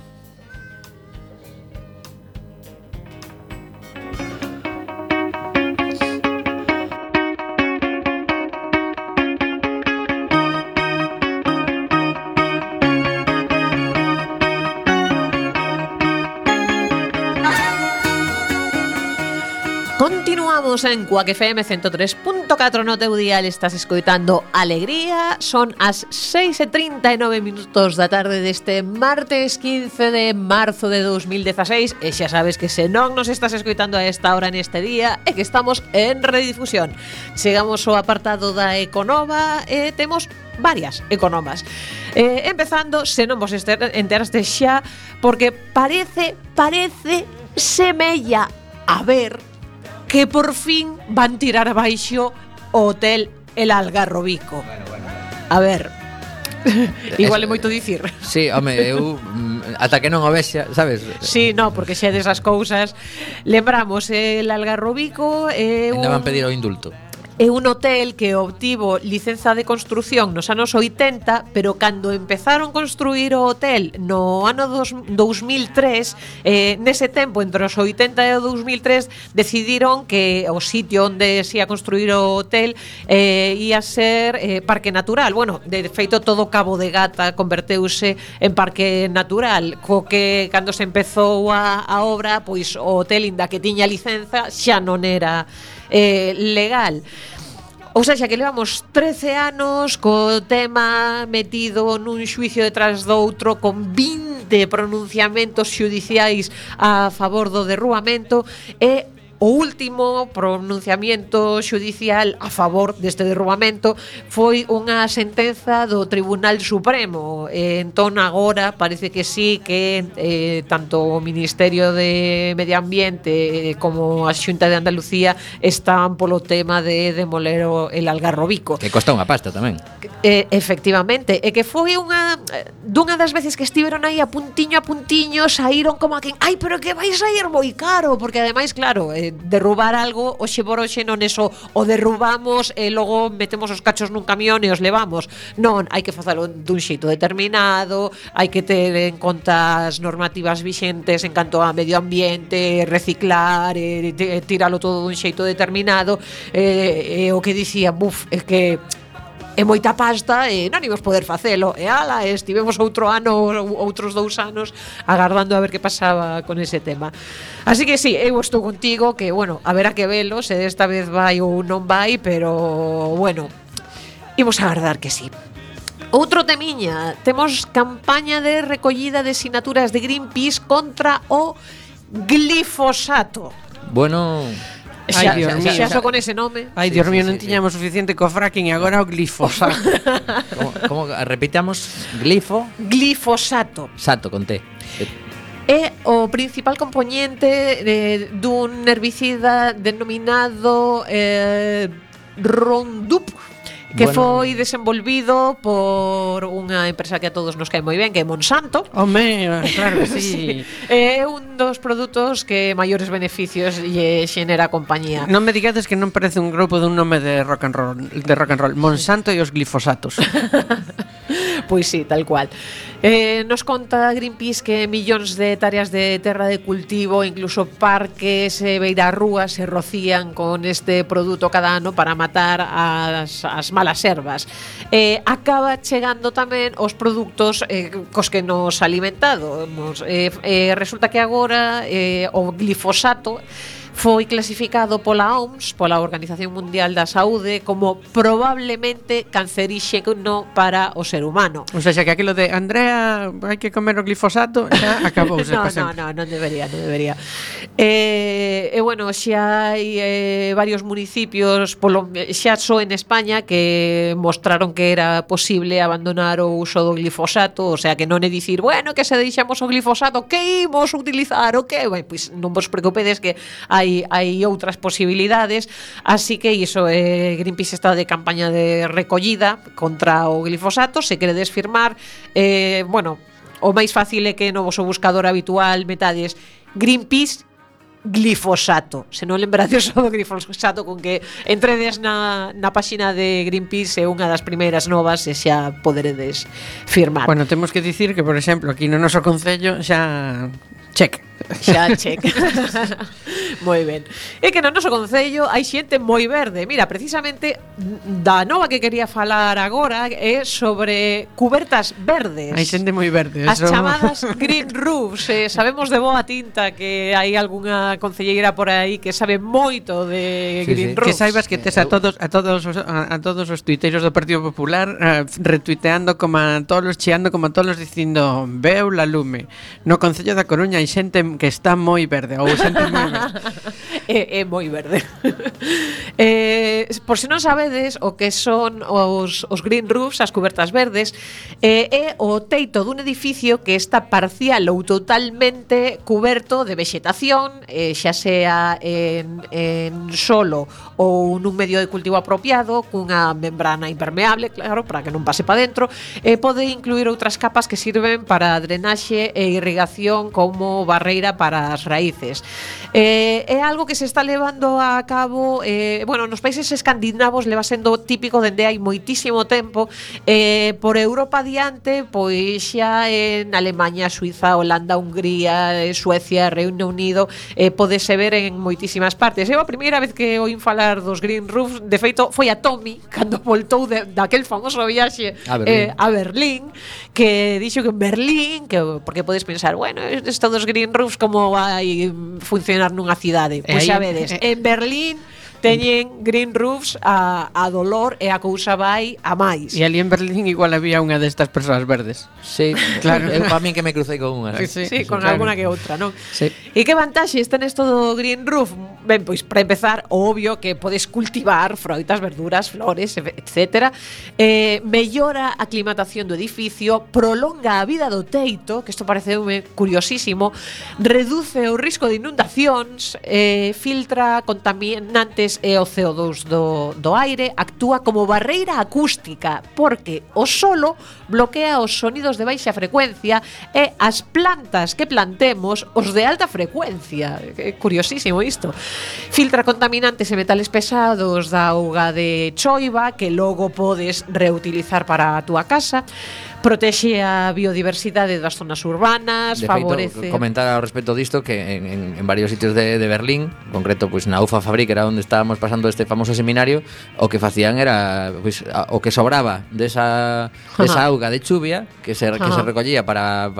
Continuamos en Cuac FM 103.4 no teu dial, estás escoitando Alegría. Son as 6:39 da tarde deste martes 15 de marzo de 2016, e xa sabes que se non nos estás escoitando a esta hora neste día é que estamos en redifusión. Chegamos ao apartado da Econova e temos varias economas. Empezando, se non vos enteraste xa, porque parece semella a ver que por fin van tirar abaixo o hotel El Algarrobico. Bueno. A ver, igual é moito dicir. Sí, home, eu ata que non o vexa, sabes? Sí, no, porque xa desas cousas. Lembramos El Algarrobico ainda van pedir o indulto. é un hotel que obtivo licenza de construción nos anos 80, pero cando empezaron a construir o hotel no ano 2003, nese tempo, entre os 80 e o 2003, decidiron que o sitio onde se ia construir o hotel ia ser parque natural. Bueno, de feito, todo Cabo de Gata converteuse en parque natural, co que cando se empezou a obra, pois o hotel, inda que tiña licenza, xa non era legal. Ou seja, que levamos 13 anos co tema metido nun xuicio detrás do outro, con 20 pronunciamentos xudiciais a favor do derrubamento, e o último pronunciamento xudicial a favor deste derrubamento foi unha sentenza do Tribunal Supremo. Entón agora parece que sí, que tanto o Ministerio de Medio Ambiente como a Xunta de Andalucía están polo tema de demoler el Algarrobico. Que costa unha pasta tamén. Efectivamente, e que foi dunha das veces que estiveron aí a puntiño, saíron como a quen, ai, pero que vai sair moi caro, porque ademais, claro, derrubar algo hoxe por hoxe non é só o derrubamos e logo metemos os cachos nun camión e os levamos. Non, hai que facelo dun xeito determinado, hai que ter en conta as normativas vixentes en canto a medio ambiente, reciclar, tiralo todo dun xeito determinado. O que dicía, é que é moita pasta e non imos poder facelo. E ala, estivemos outros 2 anos agardando a ver que pasaba con ese tema. Así que sí, eu estou contigo, que, bueno, haberá que velo se desta vez vai ou non vai, pero, bueno, imos agardar que sí. Outro temiña, temos campaña de recollida de sinaturas de Greenpeace contra o glifosato. Bueno... Xa só con ese nome. Ai, Dios mío, non tiñamos suficiente co fracking e agora o glifosato. Como repitamos? Glifosato. Sato, con T. É o principal componente dun herbicida denominado Roundup, que foi desenvolvido por unha empresa que a todos nos cae moi ben, que é Monsanto. Home, claro que sí. É un dos produtos que maiores beneficios lle xenera a compañía. Non me digades que non parece un grupo dun nome de rock and roll. Monsanto e os glifosatos. Pois sí, tal cual. Nos conta Greenpeace que millóns de hectáreas de terra de cultivo, incluso parques e beirarrúas, se rocían con este produto cada ano para matar as malas ervas. Acaba chegando tamén os produtos cos que nos alimentamos. Resulta que agora o glifosato foi clasificado pola OMS, pola Organización Mundial da Saúde, como probablemente canceríxeno para o ser humano. O sea, que aquilo de Andrea, hai que comer o glifosato, xa acabouse. Non debería. Bueno, xa hai varios municipios, xa só en España, que mostraron que era posible abandonar o uso do glifosato. O sea, que non é dicir, bueno, que se deixamos o glifosato, que imos utilizar o que? Bueno, pois non vos preocupedes que hai outras posibilidades, así que iso, Greenpeace está de campaña de recollida contra o glifosato. Se queredes firmar, bueno, o máis fácil é que no voso buscador habitual metades Greenpeace glifosato. Se non lembrades o do glifosato, con que entredes na páxina de Greenpeace, é unha das primeiras novas e xa poderedes firmar. Bueno, temos que dicir que, por exemplo, aquí no noso concello xa check. Moi ben. É que no noso concello hai xente moi verde. Mira, precisamente da nova que quería falar agora é sobre cubertas verdes. Hai xente moi verde. As chamadas green roofs. Sabemos de boa tinta que hai algunha concelleira por aí que sabe moito de green roofs. Que saibas que tes a todos os tuiteiros do Partido Popular retuiteando como a todos, cheando como a todos, dicindo veu la lume. No concello da Coruña hai xente que está moi verde, ou xente moi verde. É moi verde. Por se non sabedes o que son os green roofs, as cubertas verdes, é o teito dun edificio que está parcial ou totalmente cuberto de vexetación, xa sea en solo ou nun medio de cultivo apropiado, cunha membrana impermeable, claro, para que non pase para dentro. Pode incluir outras capas que sirven para drenaxe e irrigación, como barreira barreira para as raíces. É algo que se está levando a cabo, bueno, nos países escandinavos leva sendo típico dende hai moitísimo tempo, por Europa adiante, pois xa en Alemaña, Suiza, Holanda, Hungría, Suecia, Reino Unido, podese ver en moitísimas partes. Eu a primeira vez que oín falar dos Green Roofs, de feito, foi a Tommy, cando voltou daquel famoso viaxe a Berlín, que dixo que en Berlín, porque podes pensar, bueno, isto dos Green Roofs como vai funcionar nunha cidade? Pois xa vedes, en Berlín teñen Green Roofs a dolor e a cousa vai a máis. E ali en Berlín igual había unha destas persoas verdes. Sí, claro. Eu para min que me crucei con unha. Sí, con claro. alguna que outra, non? Sí. E que vantaxes ten isto do Green Roof? Ben, pois para empezar, obvio que podes cultivar froitas, verduras, flores, etc. Mellora a aclimatación do edificio, prolonga a vida do teito, que isto pareceume curiosísimo, reduce o risco de inundacións, filtra contaminantes e o CO2 do aire, actúa como barreira acústica, porque o solo bloquea os sonidos de baixa frecuencia e as plantas que plantemos os de alta frecuencia. É curiosísimo isto. Filtra contaminantes e metales pesados da auga de choiva que logo podes reutilizar para a túa casa. Protexe a biodiversidade das zonas urbanas, de favorece... feito, comentar ao respecto disto que en varios sitios de Berlín, en concreto pois na UFA Fabrik, era onde estábamos pasando este famoso seminario, o que facían era pois, o que sobraba desa auga de chuvia que se recollía para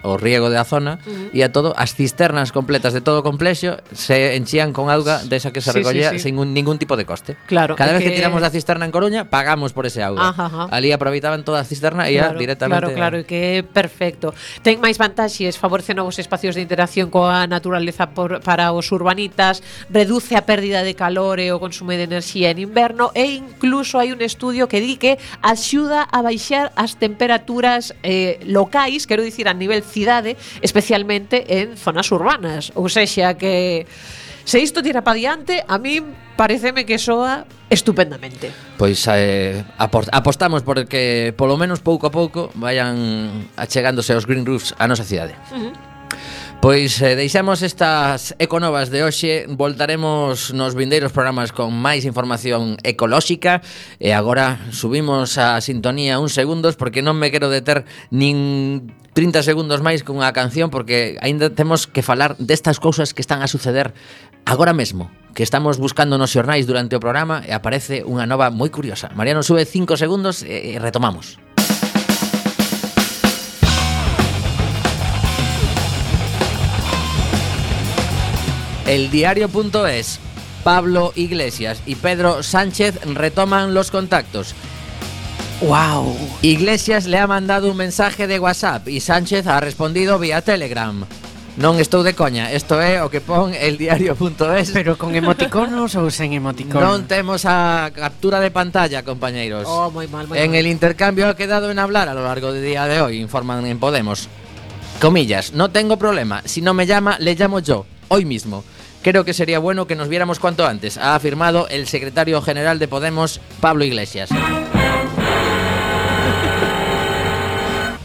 o riego da zona, e a todo as cisternas completas de todo o complexo se enchían con auga desa que se recollía sin ningún tipo de coste. Claro, cada vez que tiramos da cisterna en Coruña pagamos por ese auga. Ali aproveitaban toda a cisterna e directamente. Claro, que é perfecto. Ten máis vantaxes, favorece novos espacios de interacción coa naturaleza para os urbanitas, reduce a pérdida de calor e o consumo de enerxía en inverno, e incluso hai un estudio que di que axuda a baixar as temperaturas locais, quero dicir a nivel cidade, especialmente en zonas urbanas. Ou sexa que se isto tira pa diante, a mí pareceme que soa estupendamente. Pois apostamos por que polo menos pouco a pouco vayan achegándose os Green Roofs a nosa cidade. Pois deixamos estas econovas de hoxe, voltaremos nos vindeiros programas con máis información ecolóxica, e agora subimos a sintonía uns segundos porque non me quero deter nin 30 segundos máis con unha canción, porque aínda temos que falar destas cousas que están a suceder agora mesmo, que estamos buscando nos xornais durante o programa, e aparece unha nova moi curiosa. Mariano sube 5 segundos e retomamos. Eldiario.es. Pablo Iglesias y Pedro Sánchez retoman los contactos. ¡Wow! Iglesias le ha mandado un mensaje de WhatsApp y Sánchez ha respondido vía Telegram. Non estou de coña, isto é o que pon eldiario.es. Pero con emoticonos ou sen emoticonos? Non temos a captura de pantalla, compañeiros. Oh, moi mal. En el intercambio ha quedado en hablar a lo largo del día de hoy, informan en Podemos. Comillas, no tengo problema, si no me llama, le llamo yo, hoy mismo. Creo que sería bueno que nos viéramos cuanto antes, ha afirmado el secretario general de Podemos, Pablo Iglesias.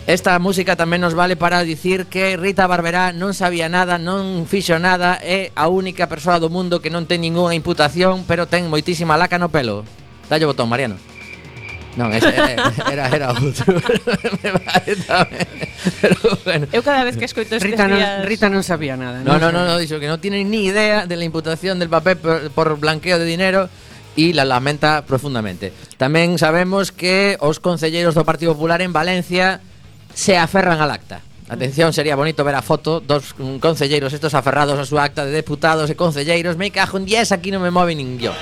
Esta música tamén nos vale para dicir que Rita Barberá non sabía nada, non fixo nada, é a única persoa do mundo que non ten ningunha imputación, pero ten moitísima laca no pelo. Dalle o botón, Mariano. Non, era outro. Pero bueno. Eu cada vez que escoito estes días... Rita non sabía nada. No, dixo que non tiene ni idea de la imputación del papel por blanqueo de dinero e la lamenta profundamente. Tamén sabemos que os concelleiros do Partido Popular en Valencia se aferran al acta. Atención, sería bonito ver a foto dos concelleiros estos aferrados a súa acta de deputados e concelleiros. Me cajo en 10, aquí non me move nin yo.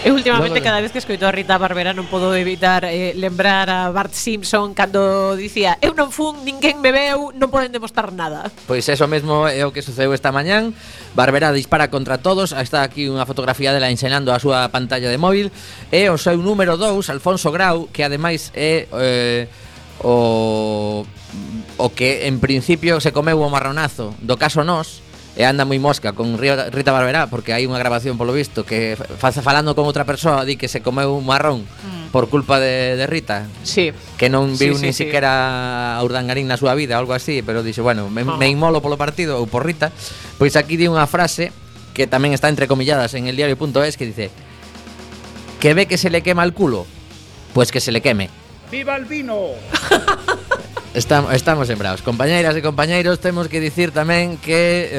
Eu últimamente cada vez que escoito a Rita Barberá non podo evitar lembrar a Bart Simpson cando dicía: eu non fun, ninguén me veu, non poden demostrar nada. Pois eso mesmo é o que sucedeu esta mañán. Barberá dispara contra todos. Está aquí unha fotografía dela enxenando a súa pantalla de móvil. E o seu número 2, Alfonso Grau, que ademais é o que en principio se comeu o marronazo do caso Nós, e anda moi mosca con Rita Barberá, porque hai unha grabación polo visto que falando con outra persoa di que se comeu un marrón por culpa de Rita. Sí. Que non viu nin siquiera a Urdangarín na súa vida, algo así, pero dixe, bueno, me inmolo polo partido ou por Rita. Pois aquí di unha frase que tamén está entrecomilladas en el diario.es que dice: que ve que se le quema el culo, pues que se le queme. ¡Viva el vino! Estamos sembrados. Compañeiras e compañeiros, temos que dicir tamén que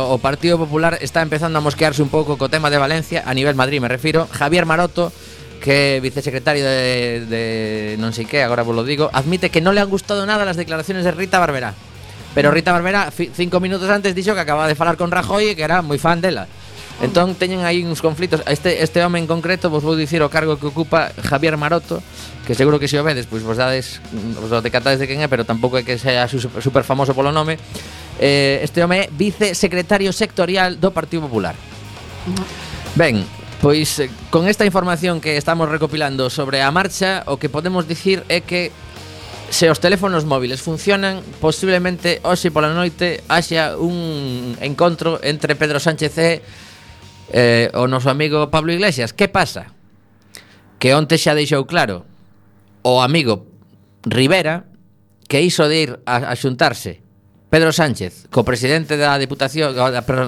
o Partido Popular está empezando a mosquearse un pouco co tema de Valencia, a nivel Madrid me refiro. Javier Maroto, que é vicesecretario de non sei que, agora vos lo digo, admite que non le han gustado nada las declaraciones de Rita Barberá. Pero Rita Barberá 5 minutos antes dixo que acababa de falar con Rajoy e que era moi fan dela. Entón teñen aí uns conflitos. Este home en concreto vos vou dicir o cargo que ocupa Javier Maroto, que seguro que se o vedes, pois vos decatades de quen é, pero tampouco é que sea super famoso polo nome. Este home é vicesecretario sectorial do Partido Popular. Ben, pois con esta información que estamos recopilando sobre a marcha, o que podemos dicir é que se os teléfonos móviles funcionan, posiblemente hoxe pola noite haxa un encontro entre Pedro Sánchez e o noso amigo Pablo Iglesias. Que pasa? Que onte xa deixou claro o amigo Rivera que iso de ir a xuntarse Pedro Sánchez co presidente da Deputación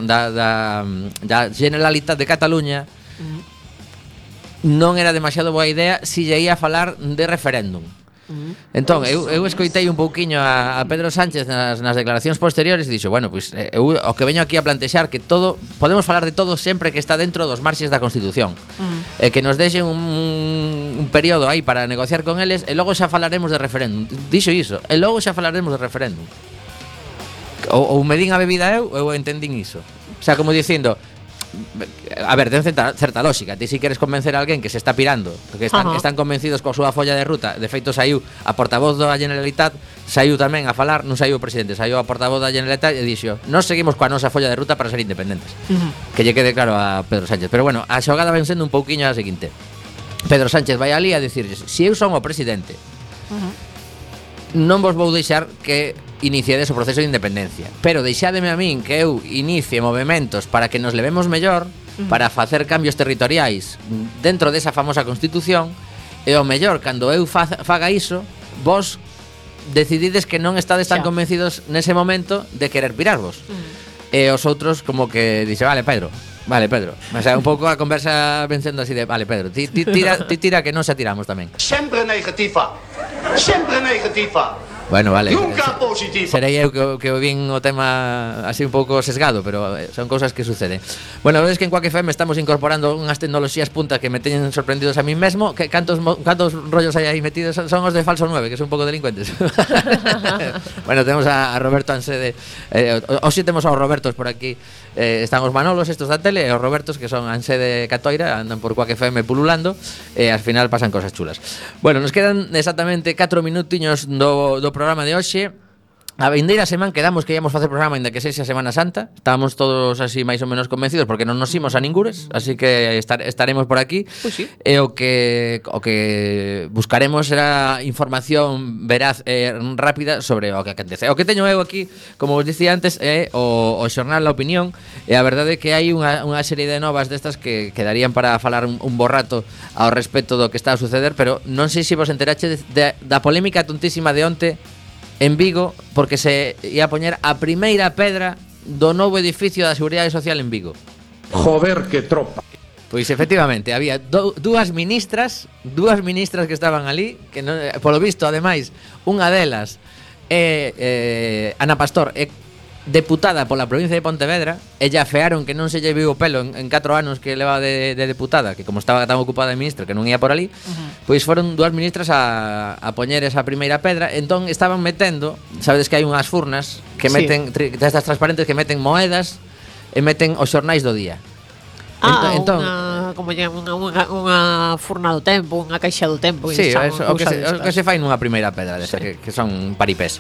da Generalitat de Cataluña non era demasiado boa idea si lle ia falar de referéndum. Entón, eu escoitei un pouquiño a Pedro Sánchez nas declaracións posteriores e dixo, bueno, pois eu o que veño aquí a plantexar que todo, podemos falar de todo sempre que está dentro dos marxes da Constitución, e que nos deixen un período aí para negociar con eles e logo xa falaremos de referéndum. Dixo iso, e logo xa falaremos de referéndum. Ou me din a bebida eu entendín iso. O sea, como dicindo, a ver, ten certa lógica. Ti si queres convencer a alguén que se está pirando, que están convencidos coa súa folla de ruta. De feito saiu a portavoz da Generalitat, saiu tamén a falar, non saiu o presidente, saiu a portavoz da Generalitat e dixo: "Nós seguimos coa nosa folla de ruta para ser independentes." Que lle quede claro a Pedro Sánchez. Pero bueno, a xogada ven sendo un pouquiño a seguinte. Pedro Sánchez vai ali a dicirlles: "Si eu son o presidente, non vos vou deixar que iniciades o proceso de independencia, pero deixádeme a min que eu inicie movementos para que nos levemos mellor, para facer cambios territoriais dentro desa famosa Constitución, e o mellor, cando eu faga iso, vos decidides que non estades tan convencidos nese momento de querer pirarvos." E os outros como que dice, vale, Pedro. O sea, un pouco a conversa vencendo así de, vale, Pedro, ti tira que non se tiramos tamén. Sempre negativa. Bueno, vale. Nunca positivo. Serei eu que vin o tema así un pouco sesgado, pero son cousas que suceden. Bueno, ves que en Quack FM estamos incorporando unhas tecnoloxías punta que me teñen sorprendidos a mí mesmo. Que cantos rollos hai aí metidos? Son os de Falso 9, que son un pouco delincuentes. Bueno, temos a Roberto Ansede. Hoxe temos aos Robertos por aquí. Están os Manolos estos da tele e os Robertos, que son Ansede Catoira, andan por Quack FM pululando e al final pasan cosas chulas. Bueno, nos quedan exactamente 4 minutiños do programa de hoxe. A vindeira semana quedamos que íamos facer programa ainda que sexa Semana Santa. Estábamos todos así máis ou menos convencidos porque non nos imos a ningures, así que estaremos por aquí. Pues sí. E o que buscaremos será información veraz e rápida sobre o que acontece. O que teño eu aquí, como vos dicía antes, é o xornal La Opinión, e a verdade é que hai unha serie de novas destas que quedarían para falar un bo rato ao respecto do que está a suceder, pero non sei se vos enterache da polémica tontísima de onte en Vigo, porque se ia poñer a primeira pedra do novo edificio da Seguridade Social en Vigo. Joder, que tropa. Pois efectivamente, había dúas ministras que estaban ali, que non, polo visto, ademais, unha delas é Ana Pastor, é deputada pola provincia de Pontevedra, e lla fearon que non se lle viu o pelo en 4 anos que leva de deputada, que como estaba tan ocupada de ministra que non ia por ali, pois foron dúas ministras a poñer esa primeira pedra. Entón estaban metendo, sabedes que hai unhas furnas que meten, destas transparentes, que meten moedas e meten os xornais do día. Entón, como unha furna do tempo, unha caixa do tempo. Sí, o que se fai nunha primeira pedra desa, que son paripés.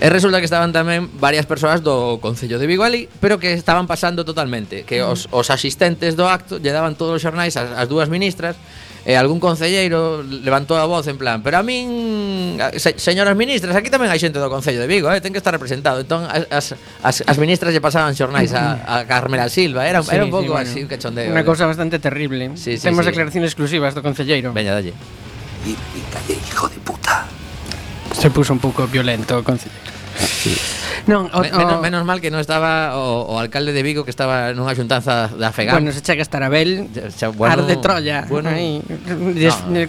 E resulta que estaban tamén varias persoas do Concello de Vigo ali, pero que estaban pasando totalmente, que os asistentes do acto lle daban todos os xornais ás dúas ministras, e algún concelleiro levantou a voz en plan, pero a min, señoras ministras, aquí tamén hai xente do Concello de Vigo, ten que estar representado. Entón as ministras lle pasaban xornais a Carmela Silva, era un pouco así, un cachondeo. Unha cousa bastante terrible. Temos declaracións exclusivas do concelleiro. Veña, dalle. Y calle, hijo de puta. Se puso un pouco violento o concelleiro. Sí. Non, menos mal que non estaba o alcalde de Vigo, que estaba nunha xuntanza da FEGAM. Bueno, se chega a estar Abel, arde Troya. Aí,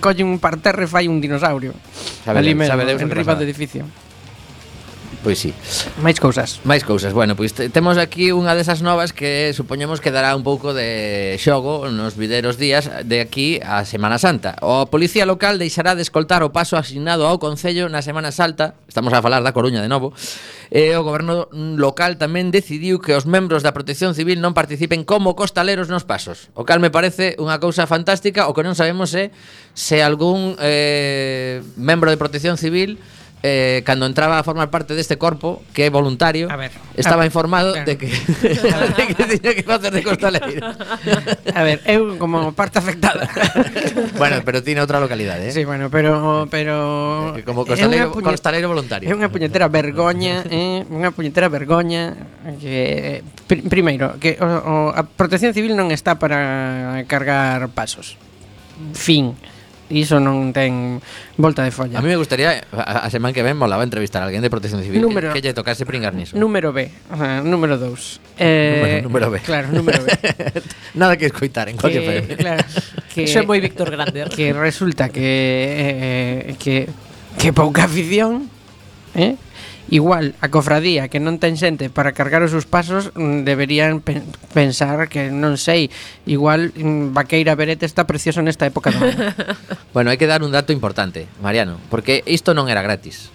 colle un parterre e fai un dinosaurio. Ali mesmo, en riba do edificio. Pois sí. Máis cousas. Bueno, pois temos aquí unha desas novas que supoñemos que dará un pouco de xogo nos videiros días de aquí a Semana Santa. O Policía Local deixará de escoltar o paso asignado ao Concello na Semana Santa. Estamos a falar da Coruña de novo. E o goberno local tamén decidiu que os membros da Protección Civil non participen como costaleros nos pasos. O cal me parece unha cousa fantástica. O que non sabemos é se algún membro de Protección Civil cando entraba a formar parte deste corpo, que é voluntario, estaba informado de que tiña que facer de costaleiro. A ver, eu como parte afectada. Bueno, pero tiene outra localidade, Sí, bueno, pero como costaleiro voluntario. É unha puñetera vergoña, que primeiro, que a Protección Civil non está para cargar pasos. Fin. Iso non ten volta de folla. A mí me gustaría a semana que ven molaba entrevistar a alguén de Protección Civil que lle tocase pringar niso. Número B, o sea, número 2. Número B. Claro, número B. Nada que escoitar en cualquier FM. Claro, que iso é moi Víctor Grande. Que resulta que pouca afición, igual a cofradía que non ten xente para cargar os seus pasos deberían pensar que, non sei, igual Vaqueira Berete está precioso nesta época do ano. Bueno, hai que dar un dato importante, Mariano, porque isto non era gratis.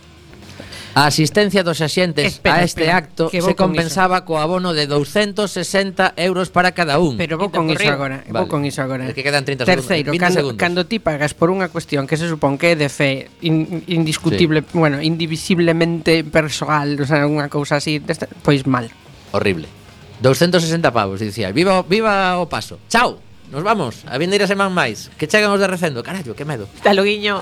A asistencia dos axentes a este acto se compensaba co abono de 260 euros para cada un. Pero vou con iso agora. É que quedan 30 Terceiro, segundos. cando ti pagas por unha cuestión que se supón que é de fe indiscutible, bueno, indivisiblemente persoal, o sea, unha cousa así, pois mal. Horrible. 260 pavos, dicía. Viva o paso. Chao. Nos vamos. A vindeira semana máis. Que chegan os de Recendo. Carallo, que medo. Hasta loguiño.